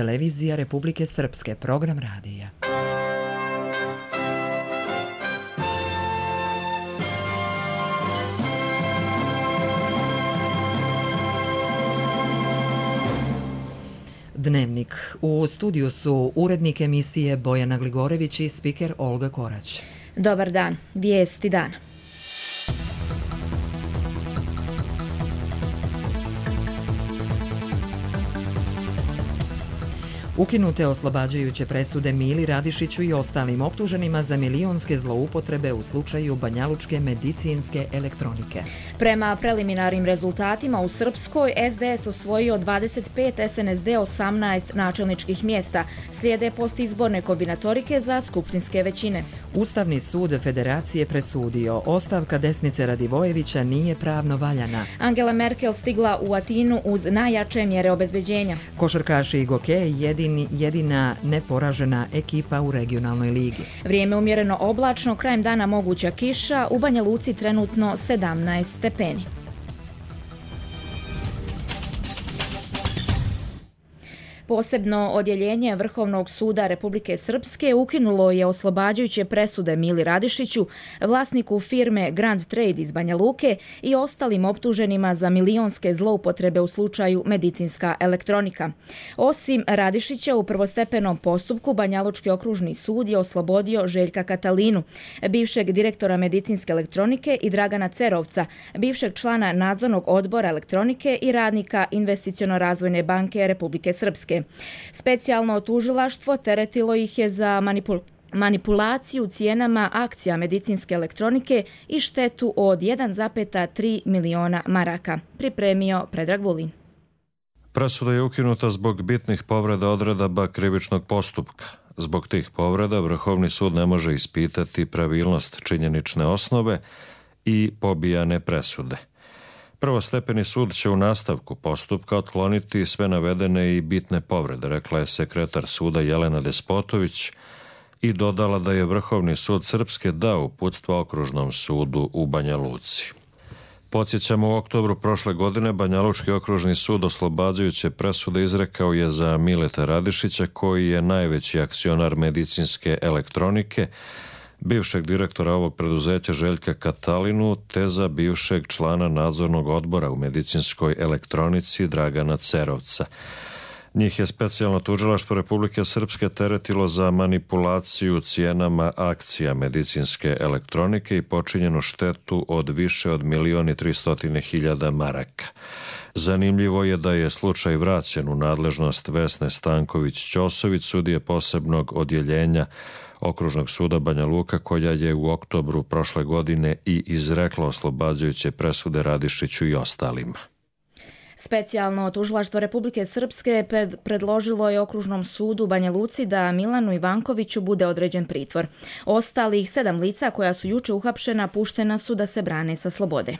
Televizija Republike Srpske, program radija. Dnevnik. U studiju su urednik emisije Bojana Gligorević i spiker Olga Korać. Dobar dan. Vijesti dana. Ukinute oslobađajuće presude Mili Radišiću i ostalim optuženima za milionske zloupotrebe u slučaju banjalučke medicinske elektronike. Prema preliminarnim rezultatima u Srpskoj, SDS osvojio 25, SNSD 18 načelničkih mjesta. Slijede postizborne kombinatorike za skupštinske većine. Ustavni sud Federacije presudio, ostavka desnice Radivojevića nije pravno valjana. Angela Merkel stigla u Atinu uz najjače mjere obezbeđenja. Košarkaši i gokej jedina neporažena ekipa u regionalnoj ligi. Vrijeme umjereno oblačno, krajem dana moguća kiša, u Banja Luci trenutno 17 stepeni. Posebno odjeljenje Vrhovnog suda Republike Srpske ukinulo je oslobađajuće presude Mili Radišiću, vlasniku firme Grand Trade iz Banja Luke i ostalim optuženima za milionske zloupotrebe u slučaju medicinska elektronika. Osim Radišića, u prvostepenom postupku Banjalučki okružni sud je oslobodio Željka Katalinu, bivšeg direktora medicinske elektronike, i Dragana Cerovca, bivšeg člana nadzornog odbora elektronike i radnika Investiciono-razvojne banke Republike Srpske. Specijalno tužilaštvo teretilo ih je za manipulaciju cijenama akcija medicinske elektronike i štetu od 1,3 miliona maraka. Pripremio Predrag Vulin. Presuda je ukinuta zbog bitnih povreda odredaba krivičnog postupka. Zbog tih povreda Vrhovni sud ne može ispitati pravilnost činjenične osnove i pobijane presude. Prvostepeni sud će u nastavku postupka otkloniti sve navedene i bitne povrede, rekla je sekretar suda Jelena Despotović i dodala da je Vrhovni sud Srpske dao uputstva Okružnom sudu u Banja Luci. Podsjećamo, u oktobru prošle godine Banjalučki okružni sud oslobađajuće presude izrekao je za Mileta Radišića, koji je najveći akcionar medicinske elektronike, bivšeg direktora ovog preduzeća Željka Katalinu, te za bivšeg člana nadzornog odbora u medicinskoj elektronici Dragana Cerovca. Njih je specijalno tužilaštvo Republike Srpske teretilo za manipulaciju cijenama akcija medicinske elektronike i počinjenu štetu od više od 1.300.000 maraka. Zanimljivo je da je slučaj vraćen u nadležnost Vesne Stanković-Ćosović, sudije posebnog odjeljenja Okružnog suda Banja Luka, koja je u oktobru prošle godine i izrekla oslobađajuće presude Radišiću i ostalima. Specijalno tužilaštvo Republike Srpske predložilo je Okružnom sudu Banja Luci da Milanu Ivankoviću bude određen pritvor. Ostalih 7 lica koja su juče uhapšena puštena su da se brane sa slobode.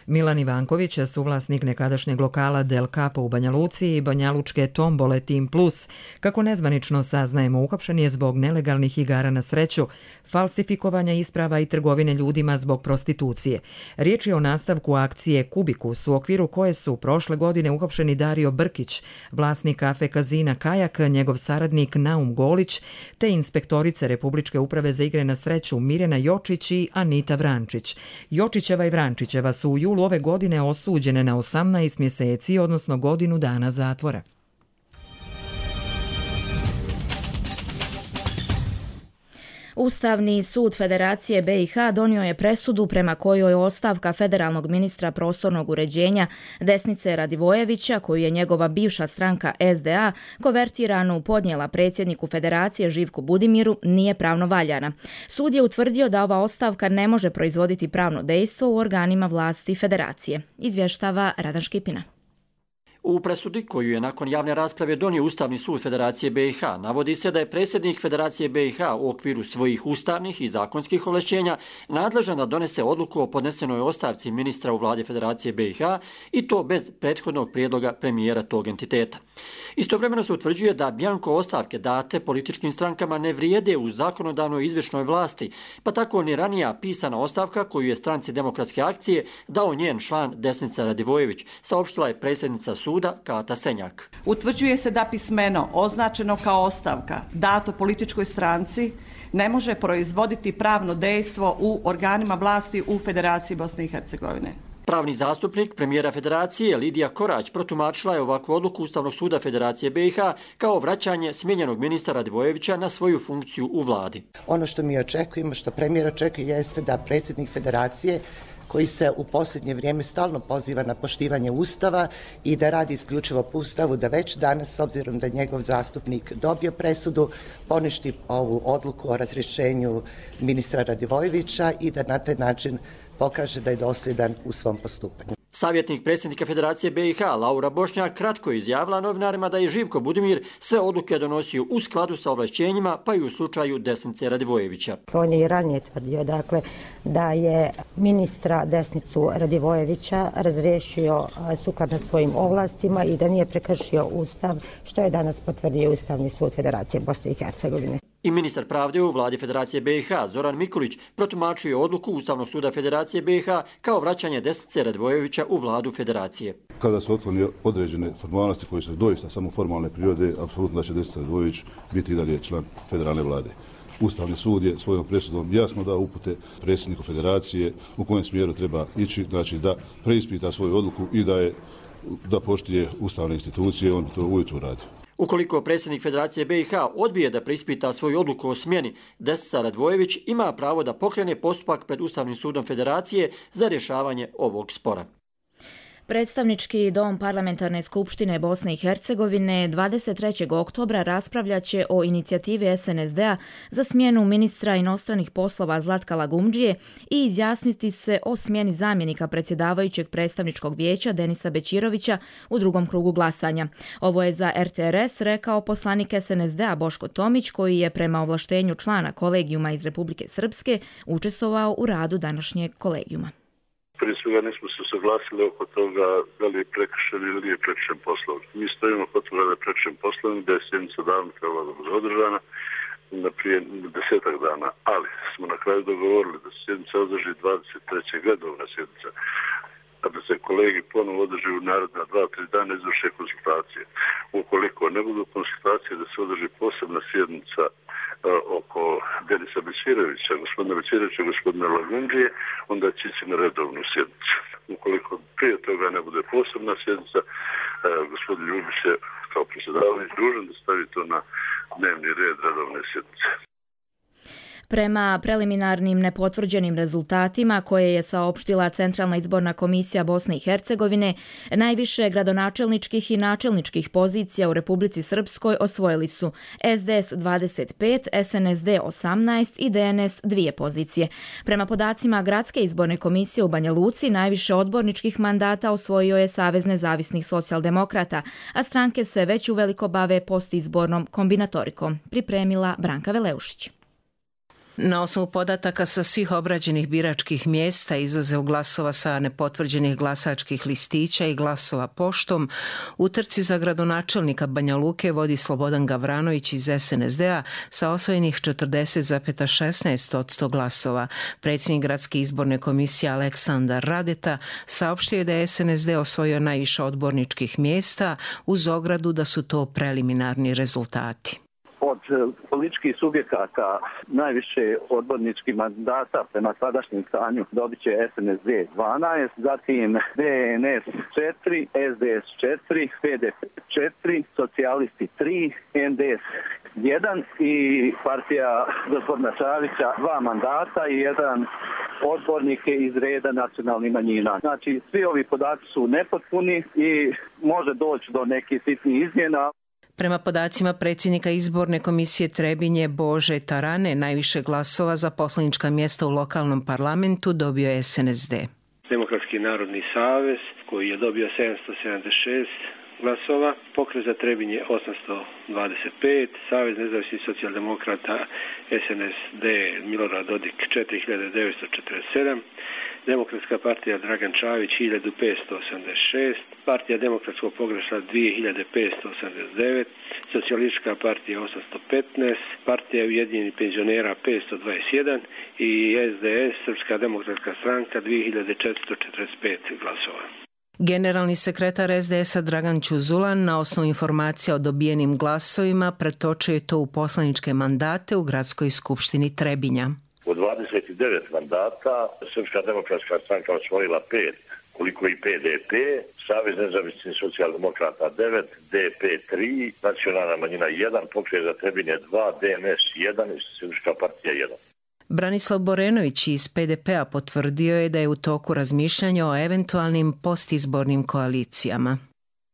Milan Ivanković, suvlasnik nekadašnjeg lokala Del Capo u Banja Luci i banjalučke tombole Team Plus, kako nezvanično saznajemo, uhapšen je zbog nelegalnih igara na sreću, falsifikovanja isprava i trgovine ljudima zbog prostitucije. Riječ je o nastavku akcije Kubikus, u okviru koje su prošle godine uhapšeni Dario Brkić, vlasnik kafe Kazina Kajak, njegov saradnik Naum Golić, te inspektorice Republičke uprave za igre na sreću Mirjana Jočić i Anita Vrančić. Jočićeva i Vrančićeva su u julu ove godine osuđene na 18 mjeseci, odnosno godinu dana zatvora. Ustavni sud Federacije BiH donio je presudu prema kojoj ostavka federalnog ministra prostornog uređenja desnice Radivojevića, koju je njegova bivša stranka SDA konvertiranu podnijela predsjedniku Federacije Živku Budimiru, nije pravno valjana. Sud je utvrdio da ova ostavka ne može proizvoditi pravno dejstvo u organima vlasti Federacije. Izvještava Radan Škipina. U presudi koju je nakon javne rasprave donio Ustavni sud Federacije BiH navodi se da je predsjednik Federacije BiH u okviru svojih ustavnih i zakonskih ovlašćenja nadležan da donese odluku o podnesenoj ostavci ministra u vladi Federacije BiH i to bez prethodnog prijedloga premijera tog entiteta. Istovremeno se utvrđuje da bjanko ostavke date političkim strankama ne vrijede u zakonodavnoj i izvršnoj vlasti, pa tako ni ranija pisana ostavka koju je stranci Demokratske akcije dao njen član Desnica Radivojević, saopštila je predsjednica suda suda Kata Senjak. Utvrđuje se da pismeno označeno kao ostavka dato političkoj stranci ne može proizvoditi pravno dejstvo u organima vlasti u Federaciji Bosne i Hercegovine. Pravni zastupnik premijera Federacije Lidija Korać protumačila je ovakvu odluku Ustavnog suda Federacije BiH kao vraćanje smijenjenog ministra Radivojevića na svoju funkciju u vladi. Ono što mi očekujemo, što premijer očekuje, jeste da predsjednik Federacije, koji se u posljednje vrijeme stalno poziva na poštivanje Ustava i da radi isključivo po Ustavu, da već danas, s obzirom da je njegov zastupnik dobio presudu, poništi ovu odluku o razrješenju ministra Radivojevića i da na taj način pokaže da je dosljedan u svom postupanju. Savjetnik predsjednika Federacije BiH Laura Bošnjak kratko je izjavila novinarima da je Živko Budimir sve odluke donosio u skladu sa ovlašćenjima, pa i u slučaju Desnice Radivojevića. On je i ranije tvrdio da je ministra Desnicu Radivojevića razriješio sukladno svojim ovlastima i da nije prekršio Ustav, što je danas potvrdio Ustavni sud Federacije Bosne i Hercegovine. I ministar pravde u vladi Federacije BiH Zoran Mikulić protumačio je odluku Ustavnog suda Federacije BiH kao vraćanje Desnice Radivojevića u vladu Federacije. Kada su otvorene određene formalnosti koje su doista samo formalne prirode, apsolutno da će Desnica Radivojević biti i dalje član federalne vlade. Ustavni sud je svojom presudom jasno dao upute predsjedniku Federacije u kojem smjeru treba ići, znači da preispita svoju odluku i da poštuje ustavne institucije, on to ujutro radi. Ukoliko predsjednik Federacije BiH odbije da preispita svoju odluku o smjeni, Desnica Radivojević ima pravo da pokrene postupak pred Ustavnim sudom Federacije za rješavanje ovog spora. Predstavnički dom Parlamentarne skupštine Bosne i Hercegovine 23. oktobra raspravljaće o inicijativi SNSD-a za smjenu ministra inostranih poslova Zlatka Lagumdžije i izjasniti se o smjeni zamjenika predsjedavajućeg predstavničkog vijeća Denisa Bećirovića u drugom krugu glasanja. Ovo je za RTRS rekao poslanik SNSD-a Boško Tomić, koji je prema ovlaštenju člana kolegijuma iz Republike Srpske učestvovao u radu današnjeg kolegijuma. Prije svega nismo se saglasili oko toga da li je prekršen ili nije prekršen poslovnik. Mi stojimo kod toga da je prekršen poslovnik, da je sjednica davno trebala da bude održana na prije 10 dana, ali smo na kraju dogovorili da se sjednica održi 23. redovna sjednica, a da se kolegi ponovo održi u naredna 2-3 dana izvrše konsultacije. Ukoliko ne budu konsultacije da se održi posebna sjednica oko Denisa Bećirovića, gospodina Bećirovića i gospodina Lagumdžije, onda će ići na redovnu sjednicu. Ukoliko prije toga ne bude posebna sjednica, gospodin Ljubić je kao predsjedavajući dužan da stavi to na dnevni red redovne sjednice. Prema preliminarnim nepotvrđenim rezultatima koje je saopštila Centralna izborna komisija Bosne i Hercegovine, najviše gradonačelničkih i načelničkih pozicija u Republici Srpskoj osvojili su SDS 25, SNSD 18 i DNS 2 pozicije. Prema podacima Gradske izborne komisije u Banja Luci, najviše odborničkih mandata osvojio je Savez nezavisnih socijaldemokrata, a stranke se već uveliko bave postizbornom kombinatorikom, pripremila Branka Veleušić. Na osnovu podataka sa svih obrađenih biračkih mjesta, izuzev glasova sa nepotvrđenih glasačkih listića i glasova poštom, u trci za gradonačelnika Banja Luke vodi Slobodan Gavranović iz SNSD-a sa osvojenih 40,16% glasova. Predsjednik Gradske izborne komisije Aleksandar Radeta saopštio je da je SNSD osvojio najviše odborničkih mjesta uz ogradu da su to preliminarni rezultati. Od političkih subjekata najviše odborničkih mandata prema sadašnjem stanju dobit će SNSD 12, zatim DNS 4, SDS 4, PDP 4, socijalisti 3, NDS 1 i partija gospodina Čavića 2 mandata i 1 odbornik iz reda nacionalnih manjina. Znači, svi ovi podaci su nepotpuni i može doći do nekih sitnih izmjena. Prema podacima predsjednika izborne komisije Trebinje Bože Tarane, najviše glasova za poslanička mjesta u lokalnom parlamentu dobio je SNSD. Demokratski narodni savez koji je dobio 776 glasova, Pokret za Trebinje 825, Savez nezavisnih socijaldemokrata SNSD Milorad Dodik 4947, Demokratska partija Dragan Čavić 1586, Partija demokratskog progresa 2589, Socijalistička partija 815, Partija ujedinjenih penzionera 521 i SDS Srpska demokratska stranka 2445 glasova. Generalni sekretar SDS-a Dragan Ćuzulan na osnovu informacija o dobijenim glasovima pretočio je to u poslaničke mandate u Gradskoj skupštini Trebinja. Od 29 mandata Srpska demokratska stranka osvojila 5, koliko i PDP, Savez nezavisnih socijaldemokrata 9, DP 3, Nacionalna manjina 1, Pokret za Trebinje 2, DNS 1 i Srpska partija 1. Branislav Borenović iz PDP-a potvrdio je da je u toku razmišljanja o eventualnim postizbornim koalicijama.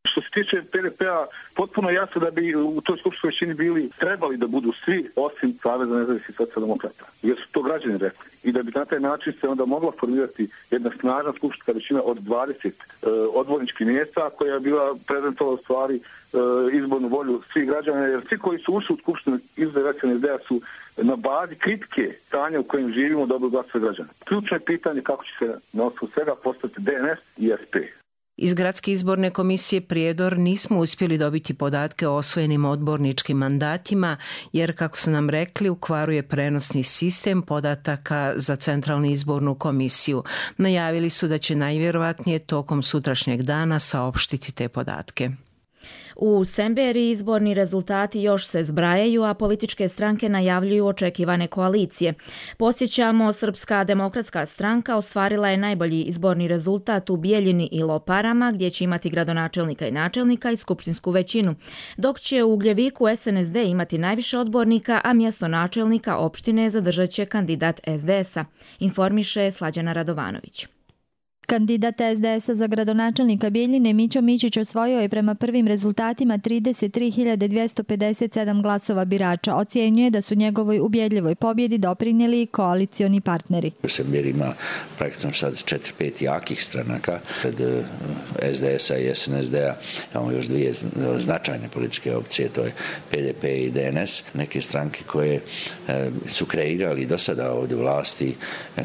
Što se tiče PDP-a, potpuno jasno da bi u toj skupštinskoj većini trebali da budu svi osim Saveza nezavisnih socijaldemokrata, jer su to građani rekli. I da bi na taj način se onda mogla formirati jedna snažna skupštinska većina od 20 odborničkih mjesta koja je bila prezentovala u stvari izbornu volju svih građana, jer svi koji su ušli u skupštinu iz SNSD-a su na bazi kritike stanja u kojem živimo dobro glasove građana. Ključno je pitanje kako će se na osnovu svega postati DNS i SP. Iz Gradske izborne komisije Prijedor nismo uspjeli dobiti podatke o osvojenim odborničkim mandatima, jer, kako su nam rekli, ukvaruje prenosni sistem podataka za Centralnu izbornu komisiju. Najavili su da će najvjerovatnije tokom sutrašnjeg dana saopštiti te podatke. U Semberiji izborni rezultati još se zbrajaju, a političke stranke najavljuju očekivane koalicije. Podsjećamo, Srpska demokratska stranka ostvarila je najbolji izborni rezultat u Bijeljini i Loparama, gdje će imati gradonačelnika i načelnika i skupštinsku većinu, dok će u Ugljeviku SNSD imati najviše odbornika, a mjesto načelnika opštine zadržat će kandidat SDS-a, informiše Slađana Radovanović. Kandidat SDS-a za gradonačelnika Bijeljine Mićo Mićić osvojio je prema prvim rezultatima 33.257 glasova birača. Ocjenjuje da su njegovoj ubjedljivoj pobjedi doprinijeli koalicioni partneri. U Semberiji ima praktično sad 4-5 jakih stranaka. Pred SDS-a i SNSD-a imamo još dvije značajne političke opcije, to je PDP i DNS. Neke stranke koje su kreirali do sada ovdje vlasti,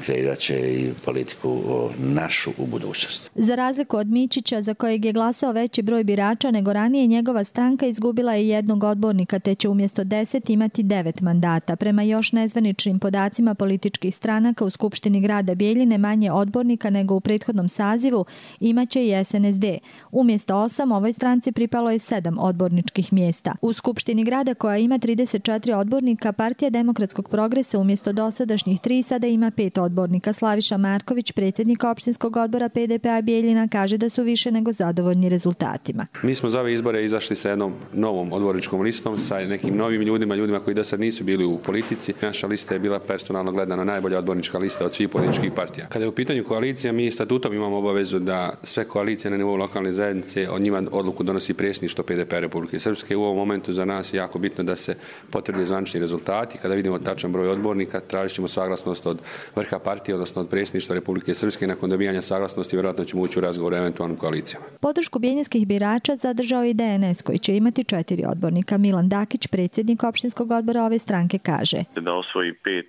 kreirat će i politiku našu u budućnosti. Za razliku od Mićića, za kojeg je glasao veći broj birača nego ranije, njegova stranka izgubila je jednog odbornika, te će umjesto 10 imati 9 mandata. Prema još nezvaničnim podacima političkih stranaka u Skupštini grada Bijeljine manje odbornika nego u prethodnom sazivu imaće i SNSD. Umjesto 8 ovoj stranci pripalo je 7 odborničkih mjesta. U Skupštini grada, koja ima 34 odbornika, Partija demokratskog progresa umjesto dosadašnjih 3 sada ima 5 odbornika. Slaviša Marković, predsjednik opštinskog odbora PDP-a Bijeljina, kaže da su više nego zadovoljni rezultatima. Mi smo za ove izbore izašli sa jednom novom odborničkom listom, sa nekim novim ljudima koji do sad nisu bili u politici. Naša lista je bila personalno gledana najbolja odbornička lista od svih političkih partija. Kada je u pitanju koalicija, mi statutom imamo obavezu da sve koalicije na nivou lokalne zajednice, od njima odluku donosi predsjedništvo PDP-a Republike Srpske. U ovom momentu za nas je jako bitno da se potvrde zvanični rezultati. Kada vidimo tačan broj odbornika, tražit ćemo saglasnost od vrha partije, odnosno od predsjedništva Republike Srpske. Nakon dobijanja saglasnosti vjerojatno ćemo ući u razgovor o eventualnim koalicijama. Podršku bijeljinskih birača zadržao i DNS, koji će imati 4 odbornika. Milan Dakić, predsjednik opštinskog odbora ove stranke, kaže da osvoji 5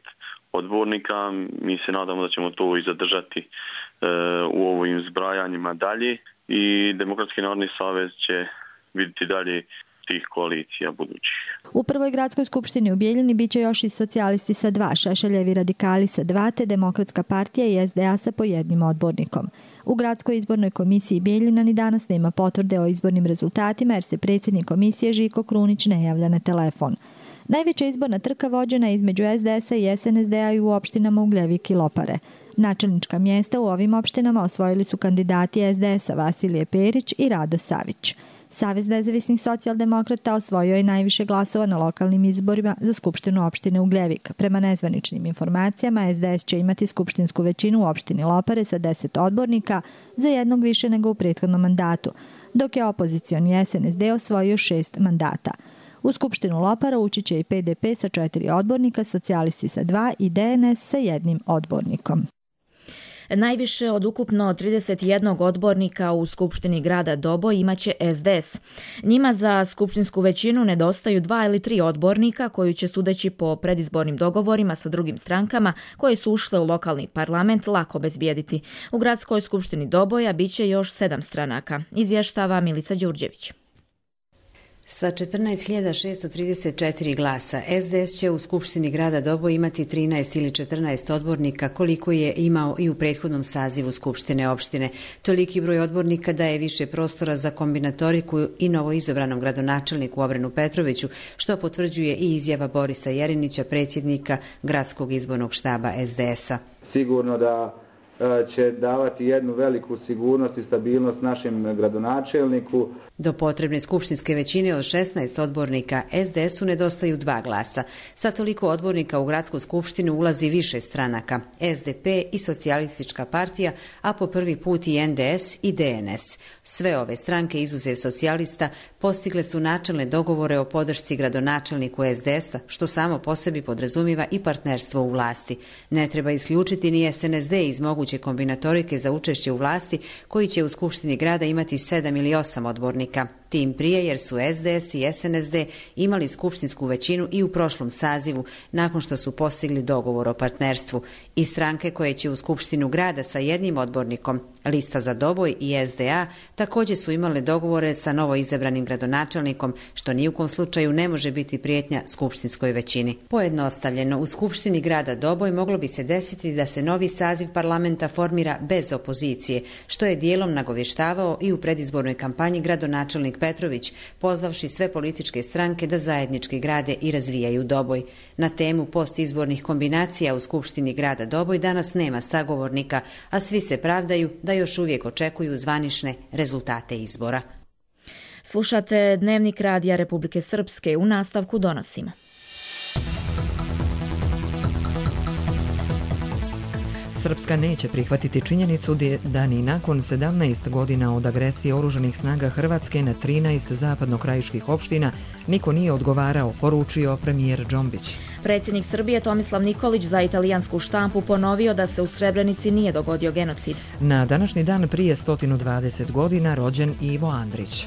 odbornika. Mi se nadamo da ćemo to i zadržati u ovim zbrajanjima dalje i Demokratski narodni savez će vidjeti dalje tih koalicija budućih. U prvoj gradskoj skupštini u Bijeljini biće još i socijalisti sa 2, Šešeljevi radikali sa 2, te Demokratska partija i SDA sa po jednim odbornikom. U Gradskoj izbornoj komisiji Bijeljina ni danas nema potvrde o izbornim rezultatima, jer se predsjednik komisije Žiko Krunić ne javlja na telefon. Najveća izborna trka vođena je između SDS-a i SNSD-a i u opštinama Ugljevik i Lopare. Načelnička mjesta u ovim opštinama osvojili su kandidati SDS-a Vasilije Perić i Rado Savić. Savez nezavisnih socijaldemokrata osvojio je najviše glasova na lokalnim izborima za skupštinu opštine Ugljevik. Prema nezvaničnim informacijama, SDS će imati skupštinsku većinu u opštini Lopare sa 10 odbornika, za jednog više nego u prethodnom mandatu, dok je opozicioni SNSD osvojio 6 mandata. U skupštinu Lopara ući će i PDP sa 4 odbornika, socijalisti sa 2 i DNS sa 1 odbornikom. Najviše od ukupno 31 odbornika u Skupštini grada Doboj imaće SDS. Njima za skupštinsku većinu nedostaju 2 ili 3 odbornika koju će, sudeći po predizbornim dogovorima sa drugim strankama koje su ušle u lokalni parlament, lako bezbijediti. U Gradskoj skupštini Doboja biće još 7 stranaka, izvještava Milica Đurđević. Sa 14.634 glasa, SDS će u Skupštini grada Doboj imati 13 ili 14 odbornika koliko je imao i u prethodnom sazivu Skupštine opštine. Toliki broj odbornika daje više prostora za kombinatoriku i novoizabranom gradonačelniku Obrenu Petroviću, što potvrđuje i izjava Borisa Jerinića, predsjednika Gradskog izbornog štaba SDS-a. Sigurno da će davati jednu veliku sigurnost i stabilnost našem gradonačelniku. Do potrebne skupštinske većine od 16 odbornika SDS-u nedostaju 2 glasa. Sa toliko odbornika u gradsku skupštinu ulazi više stranaka, SDP i Socijalistička partija, a po prvi put i NDS i DNS. Sve ove stranke, izuzev socijalista, postigle su načelne dogovore o podršci gradonačelniku SDS-a, što samo po sebi podrazumiva i partnerstvo u vlasti. Ne treba isključiti ni SNSD iz moguće kombinatorike za učešće u vlasti, koji će u Skupštini grada imati 7 ili 8 odbornika. Tim prije jer su SDS i SNSD imali skupštinsku većinu i u prošlom sazivu, nakon što su postigli dogovor o partnerstvu. I stranke koje će u Skupštinu grada sa jednim odbornikom, Lista za Doboj i SDA, također su imale dogovore sa novoizabranim gradonačelnikom, što ni u kom slučaju ne može biti prijetnja skupštinskoj većini. Pojednostavljeno, u Skupštini grada Doboj moglo bi se desiti da se novi saziv parlamenta formira bez opozicije, što je dijelom nagovještavao i u predizbornoj kampanji gradonačelnik Petrović, pozvavši sve političke stranke da zajednički grade i razvijaju Doboj. Na temu postizbornih kombinacija u Skupštini grada Doboj danas nema sagovornika, a svi se pravdaju da još uvijek očekuju zvanične rezultate izbora. Slušate Dnevnik Radija Republike Srpske, u nastavku donosimo. Srpska neće prihvatiti činjenicu da ni nakon 17 godina od agresije oružanih snaga Hrvatske na 13 zapadnokrajiških opština niko nije odgovarao, poručio premijer Džombić. Predsjednik Srbije Tomislav Nikolić za italijansku štampu ponovio da se u Srebrenici nije dogodio genocid. Na današnji dan prije 120 godina rođen Ivo Andrić.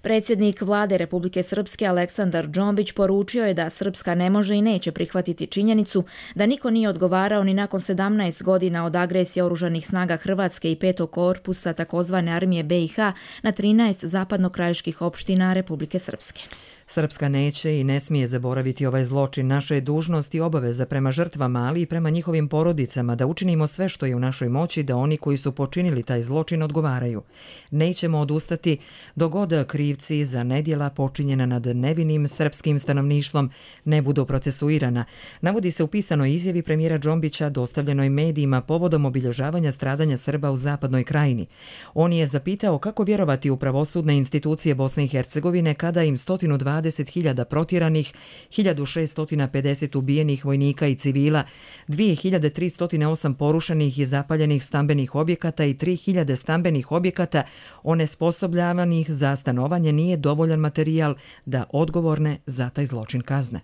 Predsjednik vlade Republike Srpske Aleksandar Džombić poručio je da Srpska ne može i neće prihvatiti činjenicu da niko nije odgovarao ni nakon 17 godina od agresije oružanih snaga Hrvatske i 5. korpusa takozvane armije BiH na 13 zapadnokrajiških opština Republike Srpske. Srpska neće i ne smije zaboraviti ovaj zločin. Naša je dužnost i obaveza prema žrtvama, ali i prema njihovim porodicama da učinimo sve što je u našoj moći da oni koji su počinili taj zločin odgovaraju. Nećemo odustati dok god krivci za nedjela počinjena nad nevinim srpskim stanovništvom ne budu procesuirana, navodi se u pisanoj izjavi premijera Džombića dostavljenoj medijima povodom obilježavanja stradanja Srba u zapadnoj krajini. On je zapitao kako vjerovati u pravosudne institucije Bosne i Hercegovine kada im 120.000 protjeranih, 1.650 ubijenih vojnika i civila, 2.308 porušenih i zapaljenih stambenih objekata i 3.000 stambenih objekata onesposobljavanih za stanovanje nije dovoljan materijal da odgovorne za taj zločin kazne.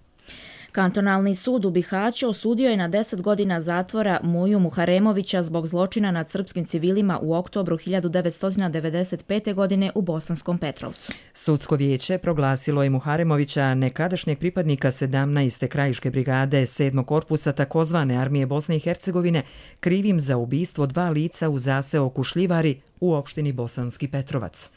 Kantonalni sud u Bihaću osudio je na 10 godina zatvora Muju Muharemovića zbog zločina nad srpskim civilima u oktobru 1995. godine u Bosanskom Petrovcu. Sudsko vijeće proglasilo je Muharemovića, nekadašnjeg pripadnika 17. krajiške brigade 7. korpusa takozvane armije Bosne i Hercegovine, krivim za ubistvo 2 lica u zaseoku Šljivari u opštini Bosanski Petrovac.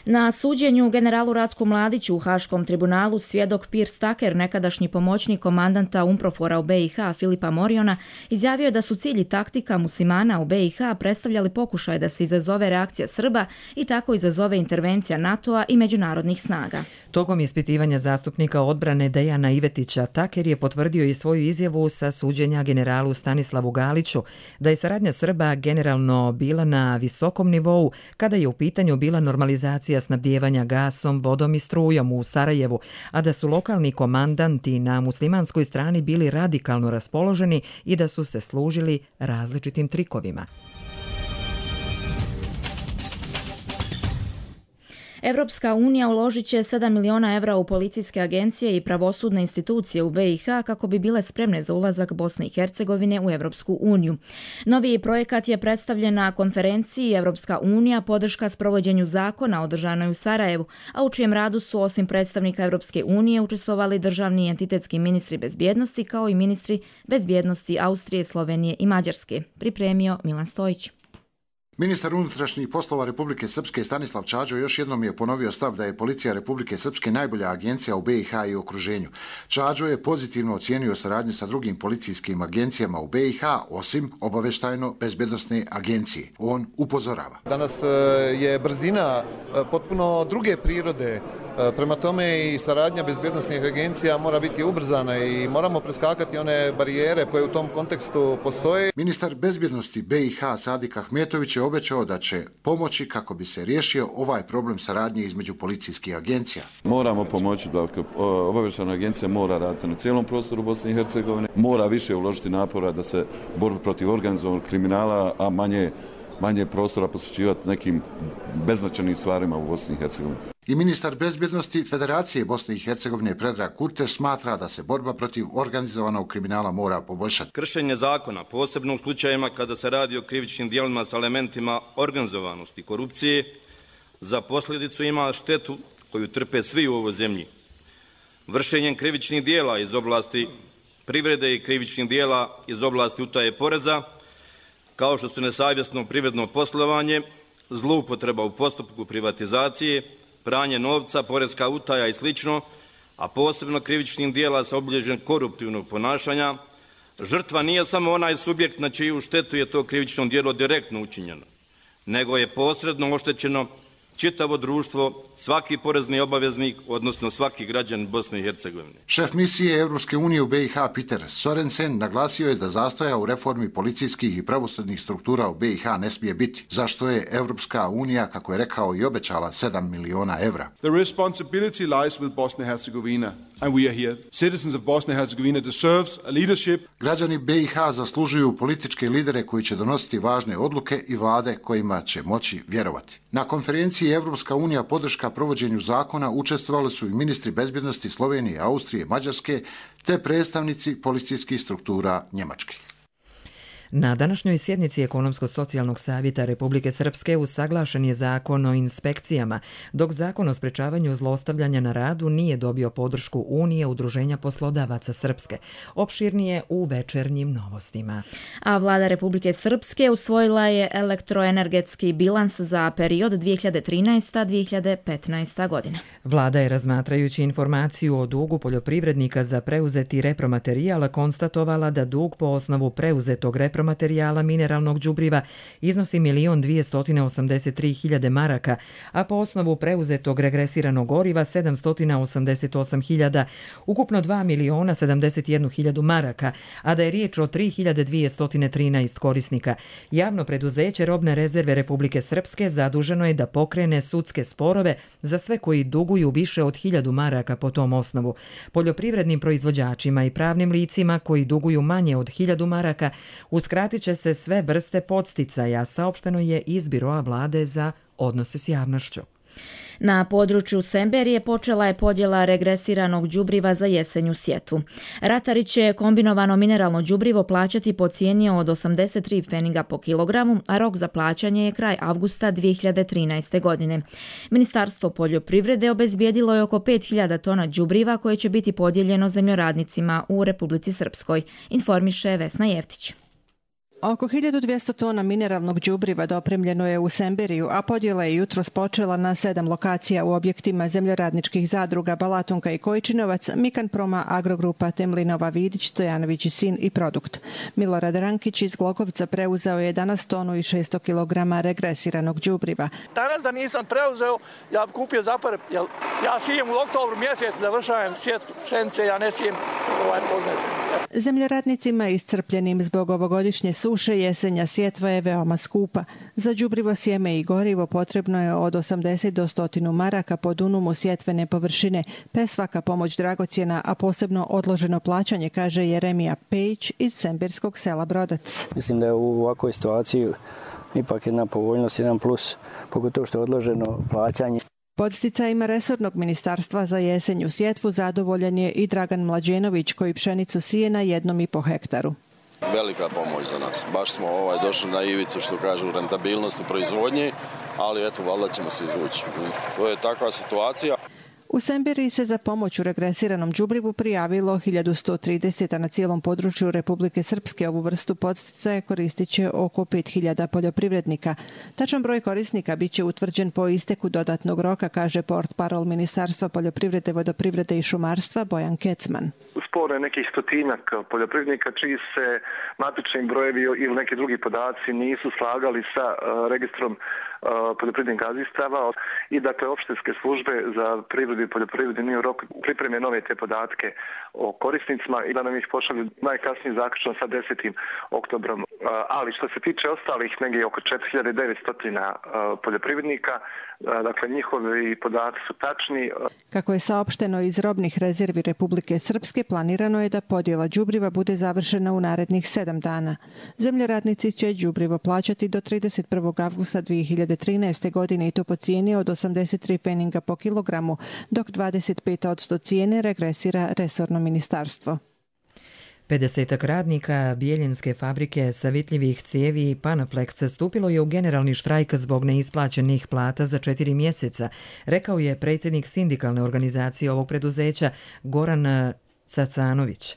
Na suđenju generalu Ratku Mladiću u Haškom tribunalu svjedok Piers Tucker, nekadašnji pomoćnik komandanta UNPROFOR-a u BiH Filipa Moriona, izjavio da su cilj i taktika muslimana u BiH predstavljali pokušaj da se izazove reakcija Srba i tako izazove intervencija NATO-a i međunarodnih snaga. Tokom ispitivanja zastupnika odbrane Dejana Ivetića, Tucker je potvrdio i svoju izjavu sa suđenja generalu Stanislavu Galiću da je saradnja Srba generalno bila na visokom nivou kada je u pitanju bila normalizacija snabdijevanja gasom, vodom i strujom u Sarajevu, a da su lokalni komandanti na muslimanskoj strani bili radikalno raspoloženi i da su se služili različitim trikovima. Evropska unija uložit će 7 miliona evra u policijske agencije i pravosudne institucije u BiH kako bi bile spremne za ulazak Bosne i Hercegovine u Evropsku uniju. Novi projekat je predstavljen na konferenciji Evropska unija podrška sprovođenju zakona održanoj u Sarajevu, a u čijem radu su osim predstavnika Evropske unije učestvovali državni i entitetski ministri bezbjednosti kao i ministri bezbjednosti Austrije, Slovenije i Mađarske. Pripremio Milan Stojić. Ministar unutrašnjih poslova Republike Srpske Stanislav Čađo još jednom je ponovio stav da je policija Republike Srpske najbolja agencija u BiH i okruženju. Čađo je pozitivno ocijenio saradnju sa drugim policijskim agencijama u BiH, osim obaveštajno-bezbednosne agencije. On upozorava. Danas je brzina potpuno druge prirode. Prema tome i saradnja bezbjednosnih agencija mora biti ubrzana i moramo preskakati one barijere koje u tom kontekstu postoje. Ministar bezbjednosti BiH Sadik Ahmetović je obećao da će pomoći kako bi se riješio ovaj problem saradnje između policijskih agencija. Moramo pomoći da obavještajna agencija mora raditi na cijelom prostoru Bosne i Hercegovine, mora više uložiti napora da se borba protiv organizovanog kriminala, a manje prostora posvećivati nekim beznačajnim stvarima u Bosni i Hercegovini. I ministar bezbjednosti Federacije Bosne i Hercegovine Predrag Kurteš smatra da se borba protiv organizovanog kriminala mora poboljšati. Kršenje zakona, posebno u slučajevima kada se radi o krivičnim djelima sa elementima organizovanosti i korupcije, za posljedicu ima štetu koju trpe svi u ovoj zemlji. Vršenjem krivičnih djela iz oblasti privrede i krivičnih djela iz oblasti utaje poreza, kao što su nesavjesno privredno poslovanje, zloupotreba u postupku privatizacije, pranje novca, porezka utaja i sl., a posebno krivičnim djela sa obilježjem koruptivnog ponašanja, žrtva nije samo onaj subjekt na čiju štetu je to krivično djelo direktno učinjeno, nego je posredno oštećeno čitavo društvo, svaki porezni obaveznik, odnosno svaki građanin Bosne i Hercegovine. Šef misije Europske unije u BiH Peter Sorensen naglasio je da zastoja u reformi policijskih i pravosudnih struktura u BiH ne smije biti, zašto je Europska unija, kako je rekao, i obećala 7 miliona evra. The responsibility lies with Bosnia and Herzegovina, and we are here. Citizens of Bosnia and Herzegovina deserves a leadership. Građani BiH zaslužuju političke lidere koji će donositi važne odluke i vlade kojima će moći vjerovati. Na konferenciji Evropska unija podrška provođenju zakona učestvovali su i ministri bezbjednosti Slovenije, Austrije, Mađarske te predstavnici policijskih struktura Njemačke. Na današnjoj sjednici Ekonomsko-socijalnog savjeta Republike Srpske usaglašen je zakon o inspekcijama, dok zakon o sprečavanju zlostavljanja na radu nije dobio podršku Unije Udruženja poslodavaca Srpske. Opširnije u večernjim novostima. A vlada Republike Srpske usvojila je elektroenergetski bilans za period 2013-2015 godina. Vlada je, razmatrajući informaciju o dugu poljoprivrednika za preuzeti repromaterijal, konstatovala da dug po osnovu preuzetog repromaterijala mineralnog đubriva iznosi 1.283.000 maraka, a po osnovu preuzetog regresiranog goriva 788.000, ukupno 2.071.000 maraka, a da je riječ o 3.213 korisnika. Javno preduzeće Robne rezerve Republike Srpske zaduženo je da pokrene sudske sporove za sve koji duguju više od 1.000 maraka po tom osnovu. Poljoprivrednim proizvođačima i pravnim licima koji duguju manje od 1.000 maraka uskratit će se sve vrste podsticaja, saopšteno je iz Biroa vlade za odnose s javnošću. Na području Semberije počela je podjela regresiranog đubriva za jesenju sjetvu. Ratari će kombinovano mineralno đubrivo plaćati po cijeni od 83 pfeniga po kilogramu, a rok za plaćanje je kraj avgusta 2013. godine. Ministarstvo poljoprivrede obezbijedilo je oko 5.000 tona đubriva koje će biti podijeljeno zemljoradnicima u Republici Srpskoj, informiše Vesna Jeftić. Oko 1200 tona mineralnog đubriva dopremljeno je u Semberiju, a podjela je jutros počela na 7 lokacija u objektima zemljoradničkih zadruga Balatonka i Kojčinovac, Mikanproma, Agrogrupa, Temlinova, Vidić, Stojanović i sin i Produkt. Milorad Rankić iz Glogovca preuzeo je danas tonu i 600 kg regresiranog đubriva. Danas da nisam preuzeo, ja bi kupio zapare, jer ja sijem u oktobru mjesec, završavam sjetvu pšenice, ja ne sijem poznati. Zemljoradnicima iscrpljenim zbog ovogodišnje suše jesenja sjetva je veoma skupa. Za đubrivo, sjeme i gorivo potrebno je od 80 do 100 maraka po dunumu sjetvene površine, pe svaka pomoć dragocjena, a posebno odloženo plaćanje, kaže Jeremija Pejić iz semberskog sela Brodac. Mislim da je u ovakvoj situaciji ipak jedna povoljnost, jedan plus, pogotovo što je odloženo plaćanje. Podsticajima resornog ministarstva za jesenju sjetvu zadovoljan je i Dragan Mlađenović koji pšenicu sije na 1,5 hektaru. Velika pomoć za nas. Baš smo došli na ivicu, što kažu, rentabilnosti proizvodnje, ali eto, valjda ćemo se izvući. To je takva situacija. U Semberiji se za pomoć u regresiranom đubrivu prijavilo 1130, a na cijelom području Republike Srpske ovu vrstu podsticaja koristit će oko 5000 poljoprivrednika. Tačan broj korisnika bit će utvrđen po isteku dodatnog roka, kaže portparol Ministarstva poljoprivrede, vodoprivrede i šumarstva Bojan Kecman. Spore nekih stotinjak poljoprivrednika čiji se matični brojevi ili neki drugi podaci nisu slagali sa registrom poljoprivrednih gazdinstava i dakle opštinske službe za privredu i poljoprivredu imaju rok pripreme nove te podatke o korisnicima i da nam ih pošalju najkasnije zaključno sa 10. oktobrom. Ali što se tiče ostalih negdje oko 4900 poljoprivrednika, dakle njihovi podaci su tačni. Kako je saopšteno iz robnih rezervi Republike Srpske, planirano je da podjela đubriva bude završena u narednih 7 dana. Zemljoradnici će đubrivo plaćati do 31. avgusta 2013. godine i to po cijeni od 83 pfeninga po kilogramu, dok 25% cijene regresira resorno ministarstvo. 50 radnika Bijeljinske fabrike savitljivih cijevi i Panaflex stupilo je u generalni štrajk zbog neisplaćenih plata za 4 mjeseca, rekao je predsjednik sindikalne organizacije ovog preduzeća Goran Cacanović.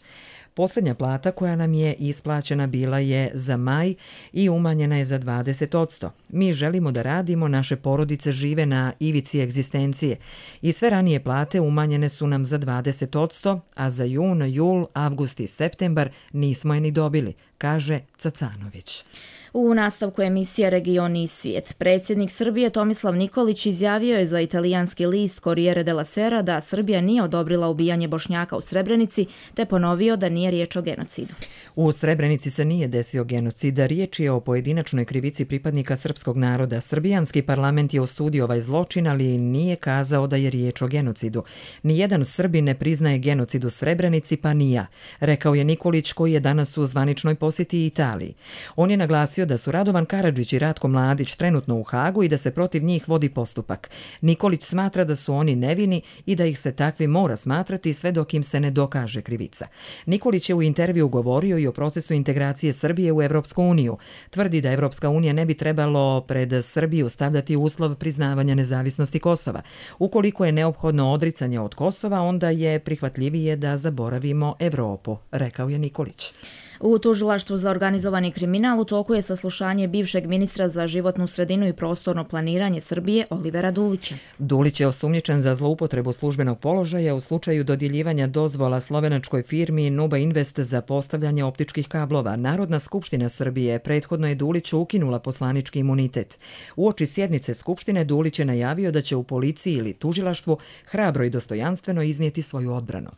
Posljednja plata koja nam je isplaćena bila je za maj i umanjena je za 20%. Mi želimo da radimo, naše porodice žive na ivici egzistencije i sve ranije plate umanjene su nam za 20%, a za jun, jul, avgust i septembar nismo je ni dobili, kaže Cacanović. U nastavku emisije Regioni i svijet, predsjednik Srbije Tomislav Nikolić izjavio je za italijanski list Corriere della Sera da Srbija nije odobrila ubijanje Bošnjaka u Srebrenici, te ponovio da nije riječ o genocidu. U Srebrenici se nije desio genocid, riječ je o pojedinačnoj krivici pripadnika srpskog naroda. Srbijanski parlament je osudio ovaj zločin, ali nije kazao da je riječ o genocidu. Nijedan Srbin ne priznaje genocid u Srebrenici, pa ni ja, rekao je Nikolić, koji je danas u zvaničnoj posjeti Italiji. On je naglasio da su Radovan Karadžić i Ratko Mladić trenutno u Hagu i da se protiv njih vodi postupak. Nikolić smatra da su oni nevini i da ih se takvi mora smatrati sve dok im se ne dokaže krivica. Nikolić je u intervju govorio i o procesu integracije Srbije u Evropsku uniju. Tvrdi da Evropska unija ne bi trebalo pred Srbiju stavljati uslov priznavanja nezavisnosti Kosova. Ukoliko je neophodno odricanje od Kosova, onda je prihvatljivije da zaboravimo Evropu, rekao je Nikolić. U tužilaštvu za organizovani kriminal u toku je saslušanje bivšeg ministra za životnu sredinu i prostorno planiranje Srbije Olivera Dulića. Dulić je osumnjičen za zloupotrebu službenog položaja u slučaju dodjeljivanja dozvola slovenačkoj firmi Nuba Invest za postavljanje optičkih kablova. Narodna skupština Srbije prethodno je Duliću ukinula poslanički imunitet. Uoči sjednice skupštine Dulić je najavio da će u policiji ili tužilaštvu hrabro i dostojanstveno iznijeti svoju odbranu.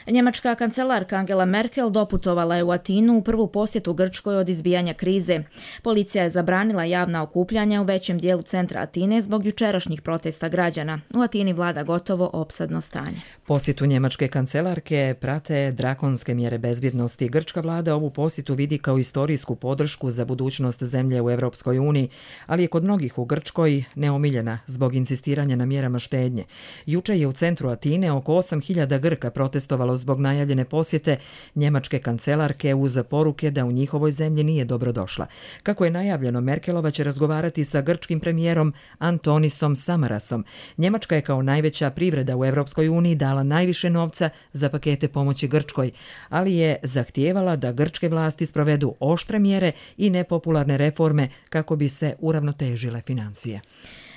Njemačka kancelarka Angela Merkel doputovala je u Atinu u prvu posjetu Grčkoj od izbijanja krize. Policija je zabranila javna okupljanja u većem dijelu centra Atine zbog jučerašnjih protesta građana. U Atini vlada gotovo opsadno stanje. Posjetu njemačke kancelarke prate drakonske mjere bezbjednosti. Grčka vlada ovu posjetu vidi kao istorijsku podršku za budućnost zemlje u Evropskoj uniji, ali je kod mnogih u Grčkoj neomiljena zbog insistiranja na mjerama štednje. Juče je u centru Atine oko 8000 Grka protestovalo zbog najavljene posjete njemačke kancelarke uz poruke da u njihovoj zemlji nije dobrodošla. Kako je najavljeno, Merkelova će razgovarati sa grčkim premijerom Antonisom Samarasom. Njemačka je kao najveća privreda u Evropskoj uniji dala najviše novca za pakete pomoći Grčkoj, ali je zahtijevala da grčke vlasti sprovedu oštre mjere i nepopularne reforme kako bi se uravnotežile financije.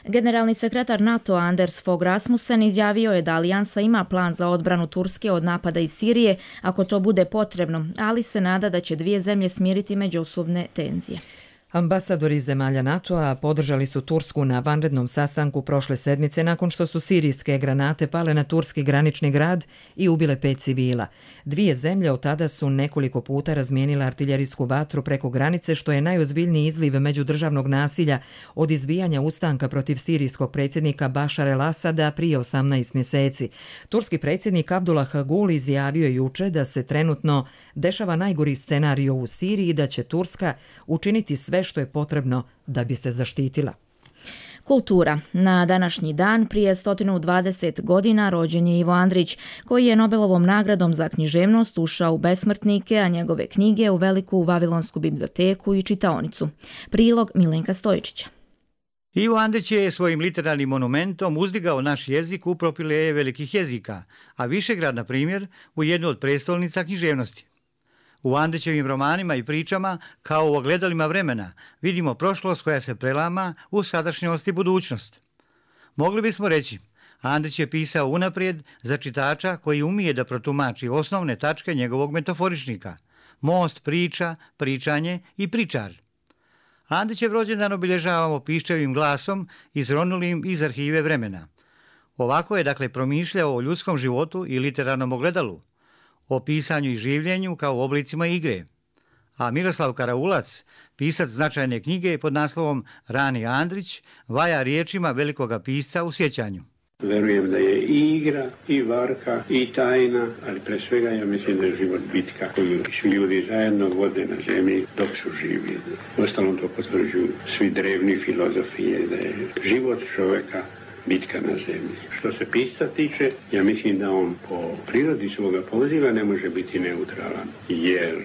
Generalni sekretar NATO Anders Fogh Rasmussen izjavio je da alijansa ima plan za odbranu Turske od napada iz Sirije ako to bude potrebno, ali se nada da će dvije zemlje smiriti međusobne tenzije. Ambasadori zemalja NATO-a podržali su Tursku na vanrednom sastanku prošle sedmice nakon što su sirijske granate pale na turski granični grad i ubile 5 civila. Dvije zemlje od tada su nekoliko puta razmijenile artiljerijsku vatru preko granice, što je najozbiljniji izliv međudržavnog nasilja od izbijanja ustanka protiv sirijskog predsjednika Bašar el-Asada prije 18 mjeseci. Turski predsjednik Abdullah Gül izjavio juče da se trenutno dešava najgori scenario u Siriji i da će Turska učiniti sve što je potrebno da bi se zaštitila. Kultura. Na današnji dan prije 120 godina rođen je Ivo Andrić, koji je Nobelovom nagradom za književnost ušao u besmrtnike, a njegove knjige u veliku Vavilonsku biblioteku i čitaonicu. Prilog Milenka Stojičića. Ivo Andrić je svojim literarnim monumentom uzdigao naš jezik u propileje velikih jezika, a Višegrad, na primjer, u jednu od prestolnica književnosti. U Andrićevim romanima i pričama, kao u ogledalima vremena, vidimo prošlost koja se prelama u sadašnjost i budućnost. Mogli bismo reći, Andrić je pisao unaprijed za čitača koji umije da protumači osnovne tačke njegovog metaforičnika, most, priča, pričanje i pričar. Andrićev rođendan obilježavamo piščevim glasom izronulim iz arhive vremena. Ovako je dakle promišljao o ljudskom životu i literarnom ogledalu, o pisanju i življenju kao oblicima igre. A Miroslav Karaulac, pisac značajne knjige pod naslovom Rani Andrić, vaja riječima velikoga pisca u sjećanju. Verujem da je i igra, i varka, i tajna, ali pre svega ja mislim da je život bitka koju ljudi zajedno vode na zemlji dok su živi. Uostalom to potvrđuju svi drevni filozofije, da je život čoveka bitka na zemlji. Što se pisca tiče, ja mislim da on po prirodi svoga poziva ne može biti neutralan, jer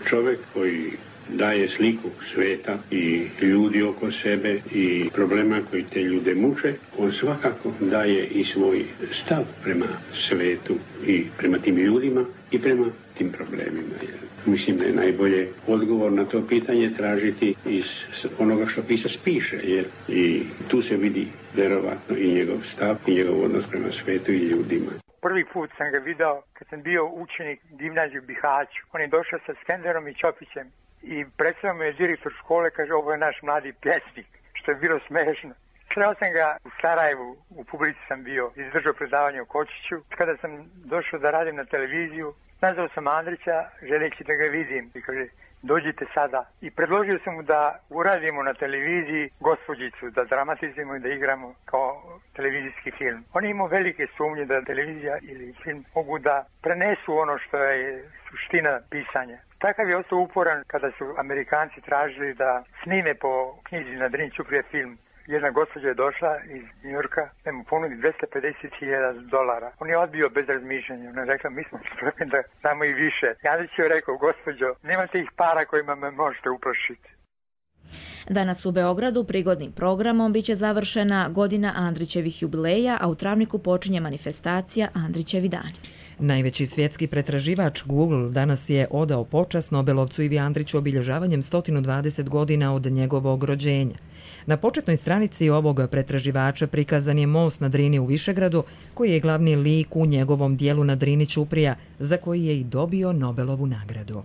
čovek koji daje sliku sveta i ljudi oko sebe i problema koji te ljude muče, on svakako daje i svoj stav prema svetu i prema tim ljudima i prema tim problemima. Mislim da je najbolje odgovor na to pitanje tražiti iz onoga što pisac piše, jer i tu se vidi verovatno i njegov stav i njegov odnos prema svetu i ljudima. Prvi put sam ga video kad sam bio učenik gimnaziju Bihaću. On je došao sa Skenderom i Ćopićem i predstavio me je direktor škole, kaže ovo je naš mladi pjesnik, što je bilo smešno. Sreo sam ga u Sarajevu, u publici sam bio, izdržao predavanje u Kočiću. Kada sam došao da radim na televiziju, nazvao sam Andrića, želeći da ga vidim. I kaže, dođite sada. I predložio sam mu da uradimo na televiziji Gospođicu, da dramatizujemo i da igramo kao televizijski film. On je imao velike sumnje da televizija ili film mogu da prenesu ono što je suština pisanja. Takav je ostao uporan kada su Amerikanci tražili da snime po knjizi na Drini Ćuprije film. Jedna gospođa je došla iz Njujorka, da mu ponudi $250,000. On je odbio bez razmišljanja. Ona je rekla, mi smo spremni da damo i više. Andrić je rekao, gospođo, nemate ih para kojima me možete uplašiti. Danas u Beogradu prigodnim programom biće završena godina Andrićevih jubileja, a u Travniku počinje manifestacija Andrićevi dani. Najveći svjetski pretraživač Google danas je odao počast Nobelovcu Ivi Andriću obilježavanjem 120 godina od njegovog rođenja. Na početnoj stranici ovog pretraživača prikazan je most na Drini u Višegradu, koji je glavni lik u njegovom dijelu na Drini Ćuprija, za koji je i dobio Nobelovu nagradu.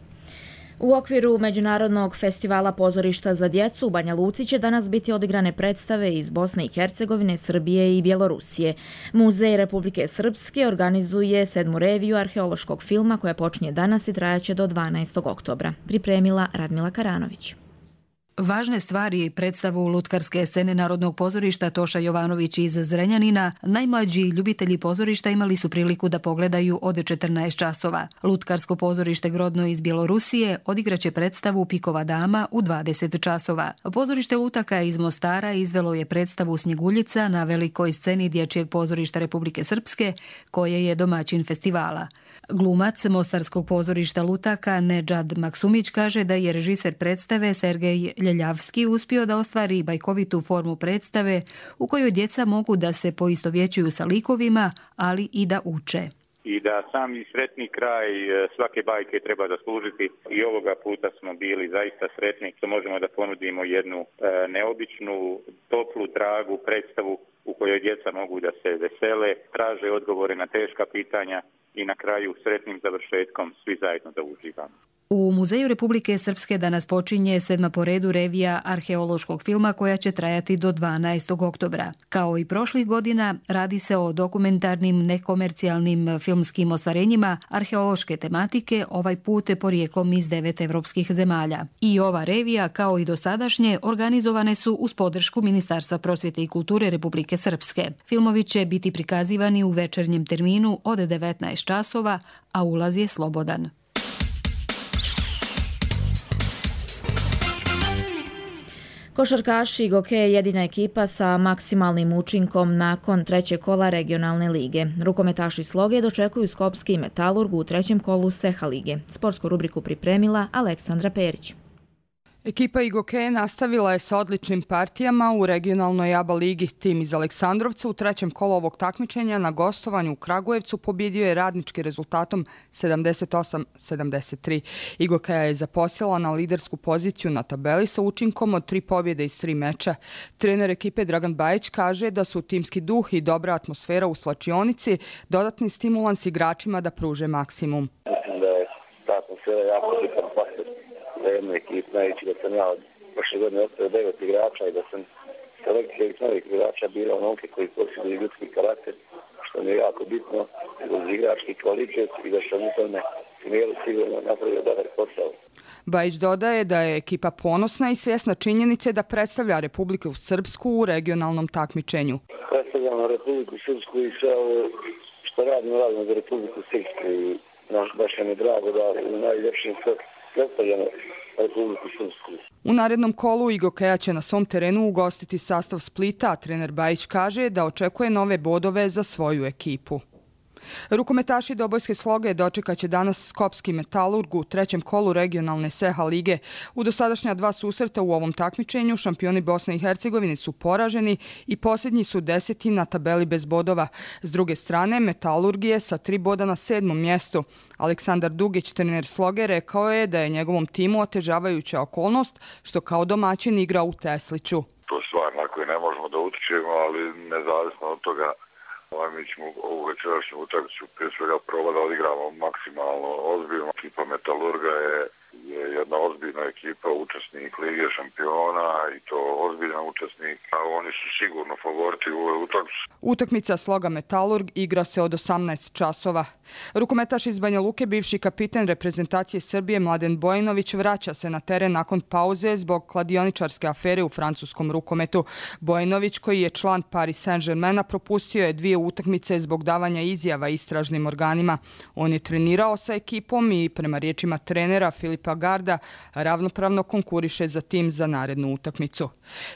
U okviru Međunarodnog festivala pozorišta za djecu u Banja Luci će danas biti odigrane predstave iz Bosne i Hercegovine, Srbije i Bjelorusije. Muzej Republike Srpske organizuje 7. reviju arheološkog filma koja počinje danas i trajaće do 12. oktobra. Pripremila Radmila Karanović. Važne stvari predstavu lutkarske scene Narodnog pozorišta Toša Jovanović iz Zrenjanina najmlađi ljubitelji pozorišta imali su priliku da pogledaju od 14 časova. Lutkarsko pozorište Grodno iz Bjelorusije odigraće predstavu Pikova dama u 20 časova. Pozorište lutaka iz Mostara izvelo je predstavu Snjeguljica na velikoj sceni Dječjeg pozorišta Republike Srpske, koje je domaćin festivala. Glumac Mostarskog pozorišta lutaka Nedžad Maksumić kaže da je režiser predstave Sergej Ljeljavski uspio da ostvari bajkovitu formu predstave u kojoj djeca mogu da se poistovjećuju sa likovima, ali i da uče. I da sami sretni kraj svake bajke treba zaslužiti i ovoga puta smo bili zaista sretni što možemo da ponudimo jednu neobičnu, toplu, dragu predstavu u kojoj djeca mogu da se vesele, traže odgovore na teška pitanja i na kraju sretnim završetkom svi zajedno da uživamo. U Muzeju Republike Srpske danas počinje 7. po redu revija arheološkog filma koja će trajati do 12. oktobra. Kao i prošlih godina, radi se o dokumentarnim, nekomercijalnim filmskim ostvarenjima arheološke tematike, ovaj put porijeklom iz 9 evropskih zemalja. I ova revija, kao i dosadašnje, organizovane su uz podršku Ministarstva prosvjete i kulture Republike Srpske. Filmovi će biti prikazivani u večernjem terminu od 19 časova, a ulaz je slobodan. Košarkaši Goke je jedina ekipa sa maksimalnim učinkom nakon trećeg kola regionalne lige. Rukometaši Sloge dočekuju Skopski Metalurg u trećem kolu Seha lige. Sportsku rubriku pripremila Aleksandra Perić. Ekipa Igokeje nastavila je sa odličnim partijama u regionalnoj ABA ligi. Tim iz Aleksandrovca u trećem kolu ovog takmičenja na gostovanju u Kragujevcu pobjedio je Radnički rezultatom 78-73. Igokeja je zaposjela na lidersku poziciju na tabeli sa učinkom od 3 pobjede iz 3 meča. Trener ekipe Dragan Bajić kaže da su timski duh i dobra atmosfera u slačionici dodatni stimulans igračima da pruže maksimum. Mislim da je ta atmosfera jako bitan faktor za jednu ekipu, znajući da sam ja od prošle godine ostavio 9 igrača i da sam selekcija ovih novih igrača birao momke koji posjeduju ljudski karakter, što mi je jako bitno, uz igrački kvalitet i da sam u tome smjeru sigurno napravio dobar posao. Bajić dodaje da je ekipa ponosna i svjesna činjenice da predstavlja Republiku Srpsku u regionalnom takmičenju. Predstavljamo Republiku Srpsku i sve ovo što radimo za Republiku Srpsku i baš je mi drago da u najljepšim predstavljamo Republiku Srpsku. U narednom kolu Igokeja će na svom terenu ugostiti sastav Splita, a trener Bajić kaže da očekuje nove bodove za svoju ekipu. Rukometaši Dobojske Sloge dočekaće danas Skopski Metalurg u trećem kolu regionalne SEHA lige. U dosadašnja 2 susreta u ovom takmičenju šampioni Bosne i Hercegovine su poraženi i posljednji su 10. na tabeli bez bodova. S druge strane, Metalurg je sa 3 boda na 7. mjestu. Aleksandar Dugić, trener Sloge, rekao je da je njegovom timu otežavajuća okolnost što kao domaćin igra u Tesliću. To je stvar na koju ne možemo da utičemo, ali nezavisno od toga mi ćemo ovu večerašnju utakmicu prije svega probati da odigramo maksimalno ozbiljno. Ekipa Metalurga je jedna ozbiljna ekipa, učesnik Lige šampiona i to ozbiljan učesnik, a oni su sigurno favoriti u ovoj utakmici. Utakmica Sloga Metalurg igra se od 18 časova. Rukometaš iz Banja Luke, bivši kapiten reprezentacije Srbije Mladen Bojinović vraća se na teren nakon pauze zbog kladioničarske afere u francuskom rukometu. Bojinović, koji je član Paris Saint-Germaina, propustio je 2 utakmice zbog davanja izjava istražnim organima. On je trenirao sa ekipom i prema riječima trenera Filipa Garda ravnopravno konkuriše za tim za narednu utakmicu.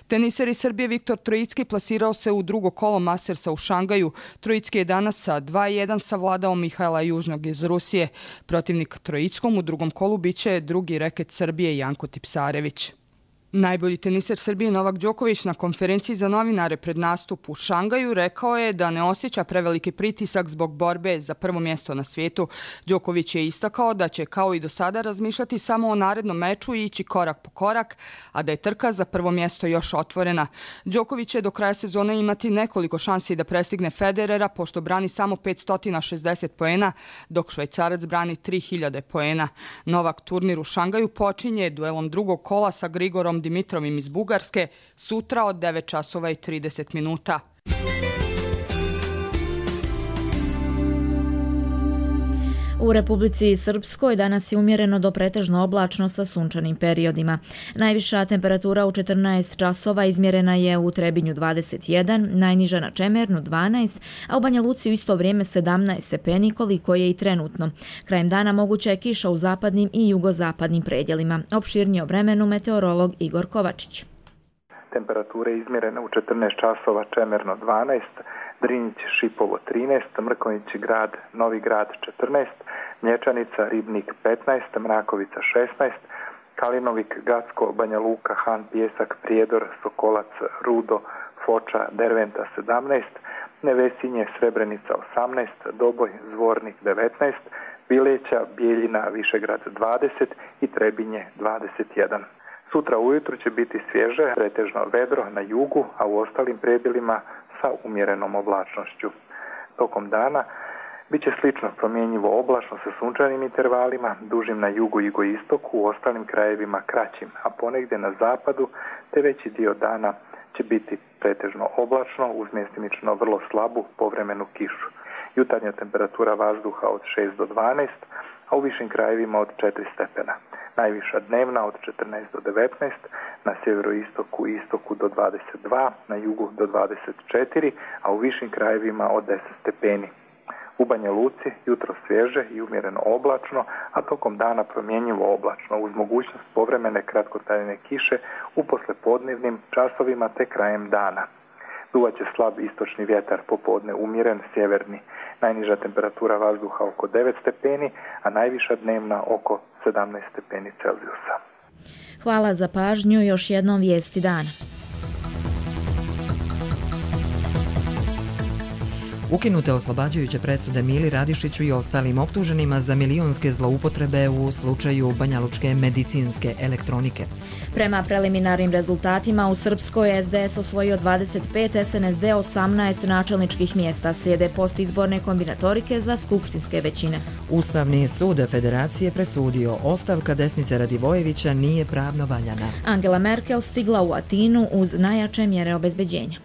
Teniser iz Srbije Viktor Trojicki plasirao se u drugo kolo Mastersa u Šangaju. Trojicki je danas sa 2-1 savladao Mihajla Južnog iz Rusije. Protivnik Trojickom u drugom kolu biće drugi reket Srbije Janko Tipsarević. Najbolji teniser Srbije Novak Đoković na konferenciji za novinare pred nastup u Šangaju rekao je da ne osjeća preveliki pritisak zbog borbe za prvo mjesto na svijetu. Đoković je istakao da će kao i do sada razmišljati samo o narednom meču i ići korak po korak, a da je trka za prvo mjesto još otvorena. Đoković će do kraja sezone imati nekoliko šansi da prestigne Federera, pošto brani samo 560 poena, dok Švajcarac brani 3000 poena. Novak turnir u Šangaju počinje duelom drugog kola sa Grigorom Dimitrovim iz Bugarske sutra od 9 časova i 30 minuta. U Republici Srpskoj danas je umjereno do pretežno oblačno sa sunčanim periodima. Najviša temperatura u 14 časova izmjerena je u Trebinju 21, najniža na Čemernu 12, a u Banja Luci u isto vrijeme 17 stepeni, koliko je i trenutno. Krajem dana moguća je kiša u zapadnim i jugozapadnim predjelima. Opširnije o vremenu meteorolog Igor Kovačić. Temperature izmjerene u 14 časova, Čemerno 12, Drinjić, Šipovo 13, Mrkonjić Grad, Novi Grad 14, Mlječanica, Ribnik 15, Mrakovica 16, Kalinovik, Gacko, Banja Luka, Han, Pijesak, Prijedor, Sokolac, Rudo, Foča, Derventa 17, Nevesinje, Srebrenica 18, Doboj, Zvornik 19, Bileća, Bijeljina, Višegrad 20 i Trebinje 21. Sutra ujutru će biti svježe, pretežno vedro na jugu, a u ostalim predjelima sa umjerenom oblačnošću. Tokom dana bit će slično promjenjivo oblačno sa sunčanim intervalima, dužim na jugu i jugoistoku, u ostalim krajevima kraćim, a ponegdje na zapadu te veći dio dana će biti pretežno oblačno uz mjestimično vrlo slabu povremenu kišu. Jutarnja temperatura vazduha od 6 do 12, a u višim krajevima od 4 stepena. Najviša dnevna od 14 do 19, na sjeveroistoku i istoku do 22, na jugu do 24, a u višim krajevima od 10 stepeni. U Banja Luci jutro svježe i umjereno oblačno, a tokom dana promjenjivo oblačno uz mogućnost povremene kratkotrajne kiše u poslepodnevnim časovima te krajem dana. Duvaće slab istočni vjetar, popodne umjeren sjeverni. Najniža temperatura vazduha oko 9 stepeni, a najviša dnevna oko 17 stepeni Celzijusa. Hvala za pažnju, još jednom vijesti dana. Ukinute oslobađajuće presude Mili Radišiću i ostalim optuženima za milionske zloupotrebe u slučaju banjalučke medicinske elektronike. Prema preliminarnim rezultatima u Srpskoj SDS osvojio 25, SNSD 18 načelničkih mjesta, slijede postizborne kombinatorike za skupštinske većine. Ustavni sud Federacije presudio ostavka Desnice Radivojevića nije pravno valjana. Angela Merkel stigla u Atinu uz najjače mjere obezbeđenja.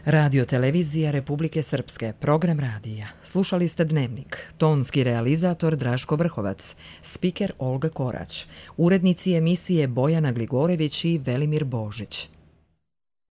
Radio televizija Republike Srpske, program radija. Slušali ste Dnevnik, tonski realizator Draško Vrhovac, spiker Olga Korać, urednici emisije Bojana Gligorević i Velimir Božić.